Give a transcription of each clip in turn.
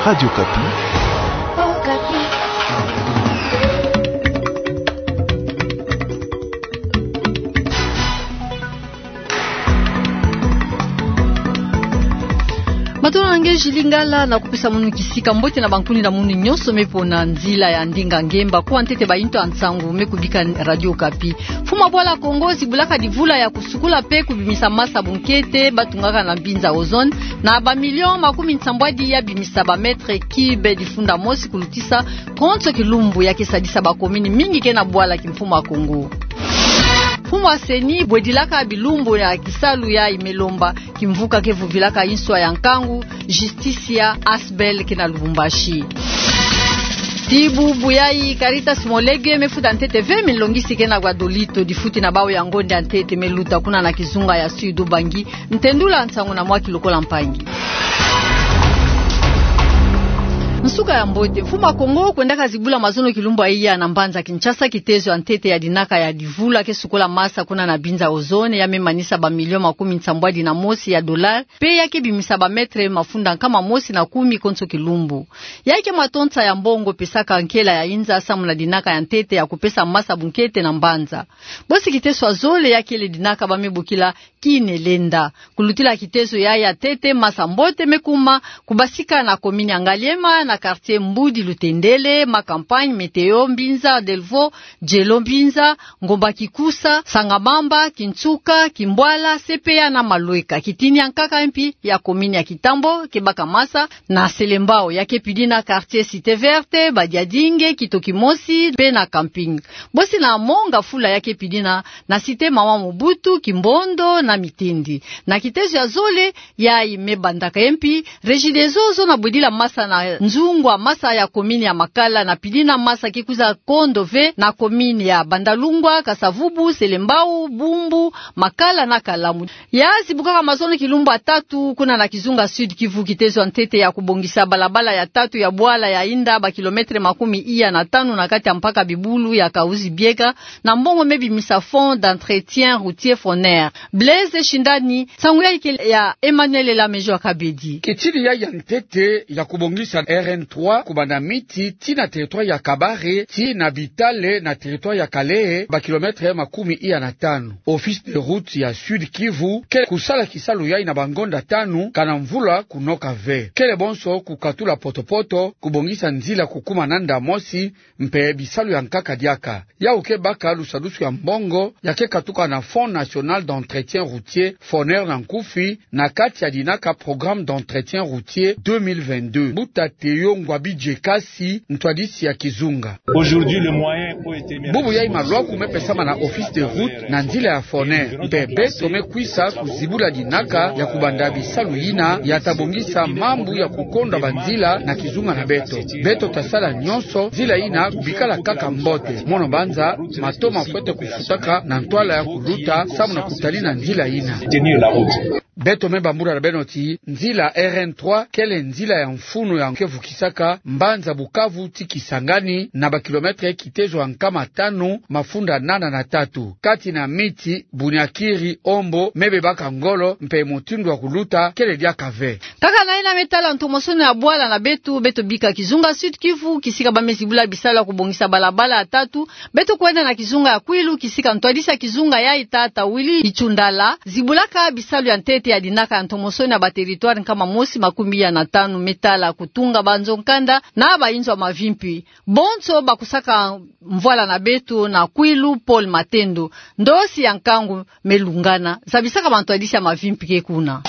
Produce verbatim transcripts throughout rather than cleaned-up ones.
Radio Kapi. Matondo na nge Julie Ngala, na kupesa munu kisika mbote na bankuni na munu nyonso me pona nzila ya ndinga ngemba. Kuwa ntete bainto ya nsangu me kubika Radio Kapi. Mfumu ya bwala Kongo zibulaka divula ya kusukula pe kubimisa masa bunkete ba tungaka na mbinza ozone na ba millions makuminsambu ya bimisa ba mètres cubes difunda mosi kulutisa konso kilumbu, ya ke sadisa ba commune mingi ke na bwala kimfumu ya Kongo. Mfumu ya CENI bwedilaka bilumbu ya kisalu yayi me lomba kimvuka ke vuvilaka inswa ya nkangu, Justicia Asbl ke na Lubumbashi. Ti bubu yayi Caritas Mot Léger me futa ntete vingt mille longisi ke na Guadolito, difuti na bawu ya ngonde ya ntete me luta kuna na kizunga ya Sud-Ubangi. Ntendula nsangu na Mwaki Lokola Mpangi. Nsuka ya mbote. Mfumu ya Kongo kwendaka zibula mazono kilumbu ya iya na mbanza Kinshasa kitezo ya ntete ya dinaka ya divula ke sukola masa kuna na mbinza ozone, ya me manisa ba millions makuminsambu na mosi ya dollars, pe ya ke bimisa ba mètres mafunda nkama mosi na kumi konso kilumbu. Yayi ke matonsa ya mbongo pesaka nkela ya inza samu na dinaka ya ntete ya kupesa masa bunkete na mbanza. Bosi kitezo ya zole ya kele dinaka ba me bokila Kinelenda. Kulutila kitezo yayi ya ntete, masa mbote me kuma kubasika na commune ya Ngaliema, na quartier Mbudi Lutendele, Ma Campagne, Météo Mbinza, Delvaux, Djelo Mbinza, Ngomba Kikusa, Sangamamba, Kinsuka, Kimbwala, Sepea na Malweka. Kitini ya nkaka mpi ya commune ya Kitambo ke baka masa na Selembao, ya ke pidina quartier Cité Verte, Badiadinge, Kito Kimosi, pe na Camping. Bosi na Monga Fula, ya ke pidina na Cité Mama Mobutu, Kimbondo na Mitindi. Na kitezo ya zole yayi me bandaka mpi, Regideso zona bwedila masa na nzungu ya masa ya commune ya Makala, na pidina masa ke kwiza kondo ve na commune ya Bandalungwa, Kasa-Vubu, Selembao, Bumbu, Makala na Kalamu. Ya zibukaka mazono kilumbu ya tatu kuna na kizunga Sud-Kivu kitezo ya ntete ya kubongisa balabala ya tatu ya bwala ya Inda, ba kilomètres makumi iya na tanu na kati ya mpaka bibulu ya Kahuzi-Biega, na mbongo me bimisa Fonds d'entretien routier, FONER. Blaise Shindani, nsangu yayi ke ya Emmanuel Lamejo Akabedi. Kitini yayi ya ntete ya kubongisa R N trois kubanda Miti tii na territoire ya Kabare tii na Bitale na territoire ya Kalehe, ba kilomètres makumi iya na tanu. Office de route ya Sud-Kivu kele kusala kisalu yayi na bangonda tanu kana mvula kunoka ve. Kele bonso kukatula potopoto, kubongisa nzila kukuma nanda mosi, mpe bisalu ya nkaka diaka. Yawu ke baka lusadusu ya mbongo ya ke katuka na Fonds National d'Entretien Routier, FONER na nkufi, na kati ya dinaka Programme d'Entretien Routier deux mille vingt-deux. Mbuta Théo Ngwabi Djekasi, ntwadisi ya kizunga. Aujourd'hui, le moyen pour éteindre... Bubu yayi malwaku me pesama na Office de route na nzila ya FONER, mpe beto me kwisa kuzibula dinaka ya kubanda bisalu yina ya ta bongisa mambu ya kukondwa banzila na kizunga na beto. Beto ta sala nyonso nzila yina kubikala kaka mbote. Mono banza mato mafwete kufutaka na ntwala ya kuluta samu na kutalina nzila yina. Beto me bambula na beno ti nzila R N trois kele nzila ya mfunu ya ke vukisaka mbanza Bukavu tii Kisangani na ba kilomètres kitezo ya nkama tanu mafunda nana na tatu, kati na Miti, Bunyakiri, Ombo, me bebaka ngolo, mpe mutindu ya kuluta kele diaka ve. Kaka na yina me tala ntomosono ya bwala na beto, beto bika kizunga Sud-Kivu, kisika ba me zibula bisalu ya kubongisa balabala ya tatu, beto kwenda na kizunga ya Kwilu, kisika ntwadisi ya kizunga yayi, tata Willy Itshundala, zibulaka bisalu ya ntete ya dinaka ya ntomosono ya ba territoire nkama mosi makumi iya na tanu me tala kutunga banzo-nkanda na bayinzo ya mavimpi. Bonso bakusaka mvwala na beto na Kwilu, Paul Matendo, ndosi ya nkangu me lungana, zabisaka bantwadisi ya mavimpi ke kuna.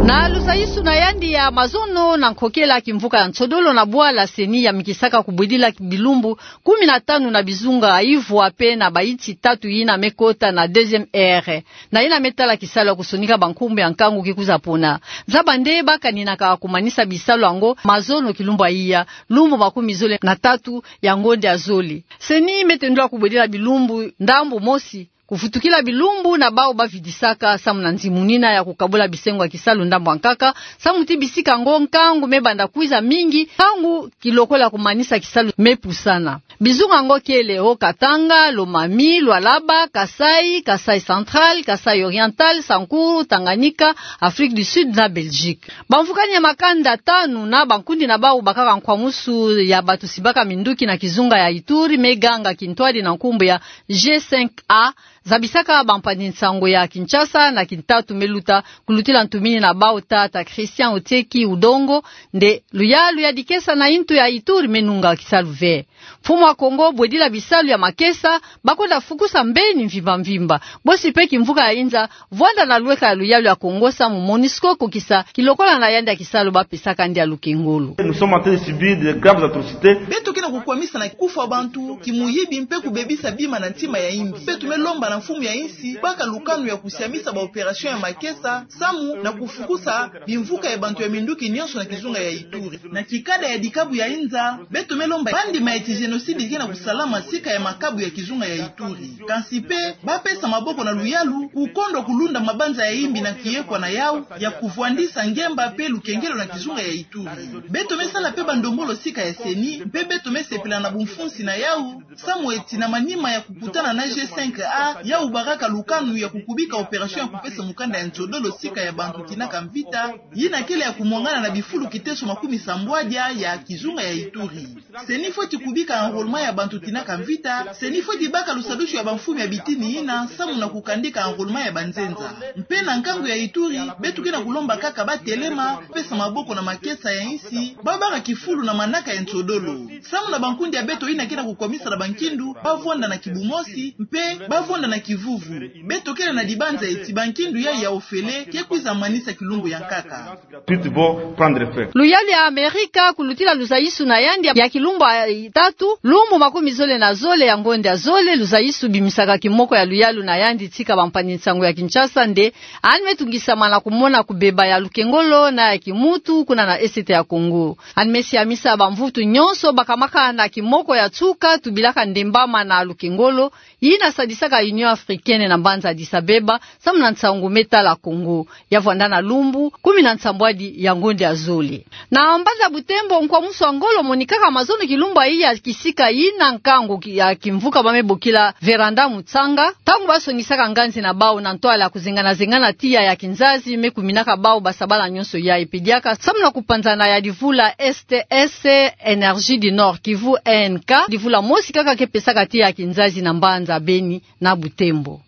Na lusayisu na yandi ya mazono na nkokela, kimvuka ya nsodolo na bwala CENI yamikisaka kubwedila bilumbu kumi na tanu na bizunga ivwa pe na bayinsi tatu yina me kota na deuxième ère, na yina me tala kisalu ya kusonika bankumbu ya nkangu ke kwiza pona. Zaba nde ba kaninaka kumanisa bisalu yango mazono kilumbu ya iya, lumbu makumi zole na tatu ya ngonde ya zole. CENI me tendula kubwedila bilumbu ndambu mosi kufutukila bilumbu na bau bavidisaka samu na nzimunina ya kukabula bisengo ya kisalu ndambu ya nkaka, samu ti bisika ngo nkangu mebanda kwiza mingi, nkangu kilokola kumanisa kisalu mepusana. Bizunga ngo kele Haut-Katanga, Lomami, Lualaba, Kasaï, Kasaï Central, Kasaï Oriental, Sankuru, Tanganyika, Afrique du Sud na Belgique. Bamvukani ya makanda tanu na bankundi na bau bakaka nkwamusu ya batusibaka minduki na kizunga ya Ituri, meganga kintwadi na nkumbu ya G cinq A, zabisaka bampangi-nsangu ya Kinshasa na Kitatu meluta, kulutila ntumini na bau tata Christian Otieki Udongo, nde luyalu ya dikesa na yintu ya Ituri menunga kisalu ve. Mfumu wa Kongo bwedila bisalu ya makesa, bakwenda fukusa mbeni mvimba mvimba. Bosi pe kimvuka ya inza, vwanda na lweka ya luyalu ya Kongo samu MONUSCO kokisa kilokola na yandi ya kisalu bapesaka yandi ya lukengolo. Nous sommes en train de subir de graves atrocités. Beto ke na kukwamisa na kufwa bantu, kimuyibi mpe kubebisa bima na ntima ya yimbi. Beto melomba na mfumu ya insi, baka lukanu ya kusiamisa ba opération ya makesa, samu na kufukusa bimvuka ya bantu ya minduki nyonso na kizunga ya Ituri. Na kikada ya dikabu ya inza, beto melomba bandima ya ti génocide ke na kusalama sika ya makabu ya kizunga ya Ituri. Kansi pe, bapesa maboko na luyalu, kukondwa kulunda mabanza ya yimbi na kiyekwa na yau, ya kuvwandisa ngemba pe lukengelo na kizunga ya Ituri. Beto mesala pe bandombolo sika ya CENI, mpe beto mesepela na bumfunsi na yau, samu eti na manima ya kukutana na G cinq A, yau bakaka lukanu ya kukubika opération ya kupesa mukanda ya nsodolo sika ya bantu tinaka mvita, yina kele ya kumwangana na bifulu kiteso makumi sambwadia ya kizunga ya Ituri. CENI fweti kubika enrôlement ya bantu tinaka mvita, CENI fweti baka lusadusu ya bamfumu ya bitini yina, samu na kukandika enrôlement ya banzenza. Mpe na nkangu ya Ituri, beto ke na kulomba kaka batelema, pesa maboko na makesa ya insi, babaka kifulu na manaka ya nsodolo. Samu na bankundi ya beto yina ke na kukwamisa na bankindu, bavwanda na kibumosi, mpe bavwanda na kivuvu. Beto kele na dibanza eti bankindu yai ya ofele, ke kwiza manisa kilumbu ya nkaka. Suite vont prendre fin. Luyalu ya Amerika kulutila luzayisu na yandi ya kilumbu ya tatu, lumbu makumi zole na zole ya ngonda ya zole, luzayisu bimisaka kimoko ya luyalu na yandi tika bampangi-nsangu ya Kinshasa nde, yandi metungisama na kumona kubeba ya lukengolo na ya kimuntu kuna na Est ya Congo. Yandi mesiamisa bamvutu nyonso bakamaka na kimoko ya nsuka tubilaka ndembama na lukengolo, yina sadisaka Union Africaine na mbanza Addis Abeba, samu na nsangu metala Congo, ya vwanda na lumbu kumi na nsambwadi ya ngonda ya zole. Na mbanza Butembo, nkwamusu wa ngolo monikaka mazono kilumbu ya iya kisika yina nkangu ki-, ya kimvuka bamebokila Véranda Mutsanga, ntangu basongisaka nganzi na bau na ntwala ya kuzengana-zengana tiya ya kinzazi mekuminaka bau basabala nyonso ya epediaka, samu na kupanzana ya livula S T S Énergie du Nord Kivu, E N K, livula mosi kaka ke pesaka tiya ya kinzazi na mbanza Beni na Butembo.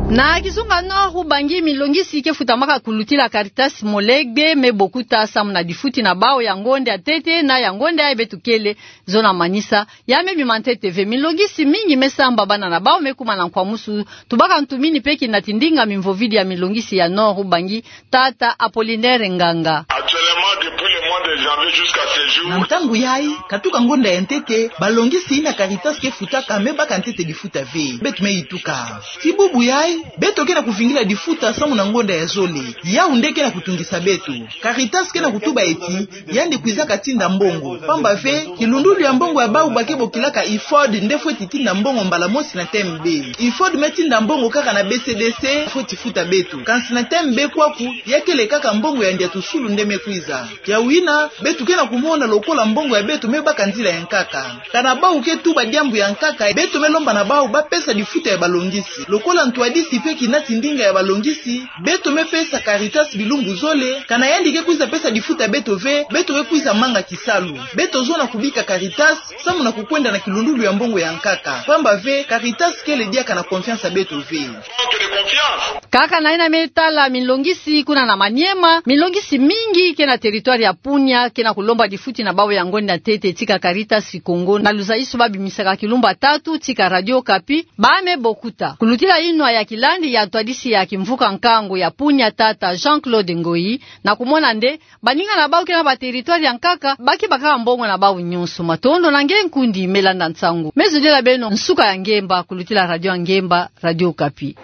Na kizunga Nord Ubangi, milongisi ke futamaka kulutila Caritas Molegbé mebokuta samu na difuti na bau ya ngonda ya ntete na ya ngonda ya beto kele zona manisa, ya mebima ntete ve. Milongisi mingi mesamba, bana na bau mekuma na nkwamusu, tubaka ntumini pe kina tindinga mimvovidi ya milongisi ya Nord Ubangi, tata Apollinaire Nganga. Actuellement, depuis le mois de janvier jusqu'à ce jour. Na ntangu yai, katuka ngonda ya ntete, balongisi yina Caritas ke futaka mebaka ntete difuta ve. Beto meyituka. Ti bubu yai, beto ke na kuvingila difuta samu na ngonda ya zole. Yau nde ke na kutungisa beto. Caritas ke na kutuba eti, yandi kwizaka tinda mbongo. Pamba ve, kilundulu ya mbongo ya bau ba ke bokilaka IFOD nde fweti tinda mbongo mbala mosi na T M B. IFOD metinda mbongo kaka na B C D C, fweti futa beto. Kansi na T M B kwaku, ya kele kaka mbongo ya ndiatusulu nde mekwiza. Kiawina, beto ke na kumona lokola mbongo ya beto mebaka nzila ya nkaka. Kana bau ke tuba diambu ya nkaka, beto melomba na bau bapesa difuta ya balongisi. Lokola ntwadisi pe kina tindinga ya balongisi, beto mepesa Caritas bilumbu zole, kana yandi ke kwiza pesa difuta beto ve, beto ke kwiza manga kisalu. Beto zona kubika Caritas, samu na kukwenda na kilundulu ya mbongo ya nkaka. Pamba ve, Caritas kele diaka na confiance ya beto ve. Kaka na yina metala milongisi kuna na Maniema, milongisi mingi ke na territoire ya Punia ke na kulomba difuti na bau ya ngonda ya ntete tika Caritas Congo, na luzayisu babimisaka kilumbu ya tatu tika Radio Okapi, ba mebokuta. Kulutila yinwa ya kilandi ya ntwadisi ya kimvuka nkangu ya Punia, tata Jean-Claude Ngoyi, na kumona nde baninga na bau ke na ba territoire ya nkaka, ba ke bakaka mbongo na bau nyonso. Matondo na nge nkundi melanda nsangu. Mezodila beno nsuka ya ngemba, kulutila radio ya ngemba, Radio Okapi.